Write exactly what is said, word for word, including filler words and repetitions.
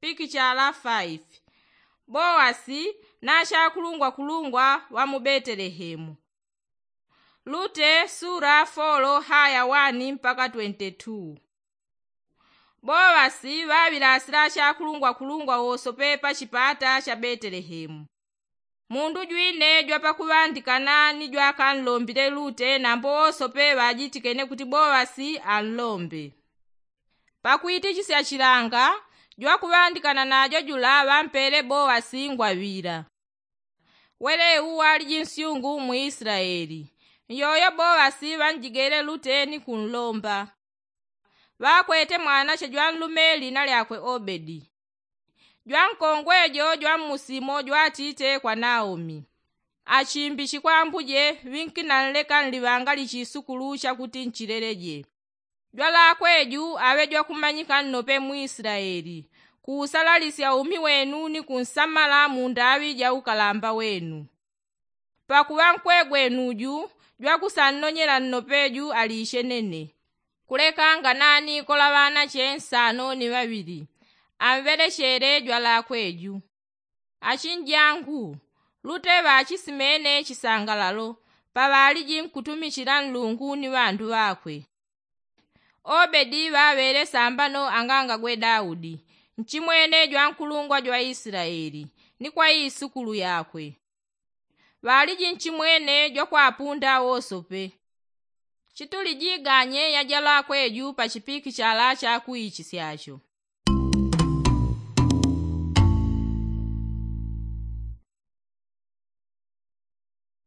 Pikichala faifi. Bowasi na chakulungwakulungwa wa mu betelehemu. Lute sura folo haya wani mpaka twenti tu. Bowasi ŵaŵilasila chakulungwakulungwa wosope pa chipata cha betelehemu. Mundu jwine jwapakuŵandikana ni jwakanlombile lute nambo wosope ŵajitikene kuti bowasi anlombe. Pakwitichisya chilanga jwakuŵandikana najo jula ŵampele bowasi ngwaŵila. Wele uwu waliji nsyungu mu isilaeli. Nyoyo bowasi ŵanjigele lute ni kunlomba. Ŵakwete mwanache jwanlume lina lyakwe obedi. Jwankongwe jo jwammusimo jwatite kwa naomi. Achimbichi kwa ambuje ŵinkinanleka nliŵanga lichisukulu chakuti nchileleje. Jwalakwe ju aŵe jwakumanyika nnope mu isilaeli. Kuusalalisya umi wenu ni kunsamala mu ndaŵi ja ukalamba wenu. Pakuŵa nkwegwenu ju jwakusannonyela nnope ju alichenene. Kulekanga nani kola ŵanache nsano ni ŵaŵili. Amŵelechele jwalakwe ju. Achinjangu, lute ŵachisimene chisangalalo paŵaliji nkutumichila nlungu ni ŵandu ŵakwe. Obedi ŵaŵele sambano angangagwe daudi. Nchimwene jwankulungwa jwa isilaeli ni kwa isukulu yakwe. Ŵaliji nchimwene jwakwapunda wosope. Chituli jiganye yajalakwe ju pa chipikichala chakuichisyacho.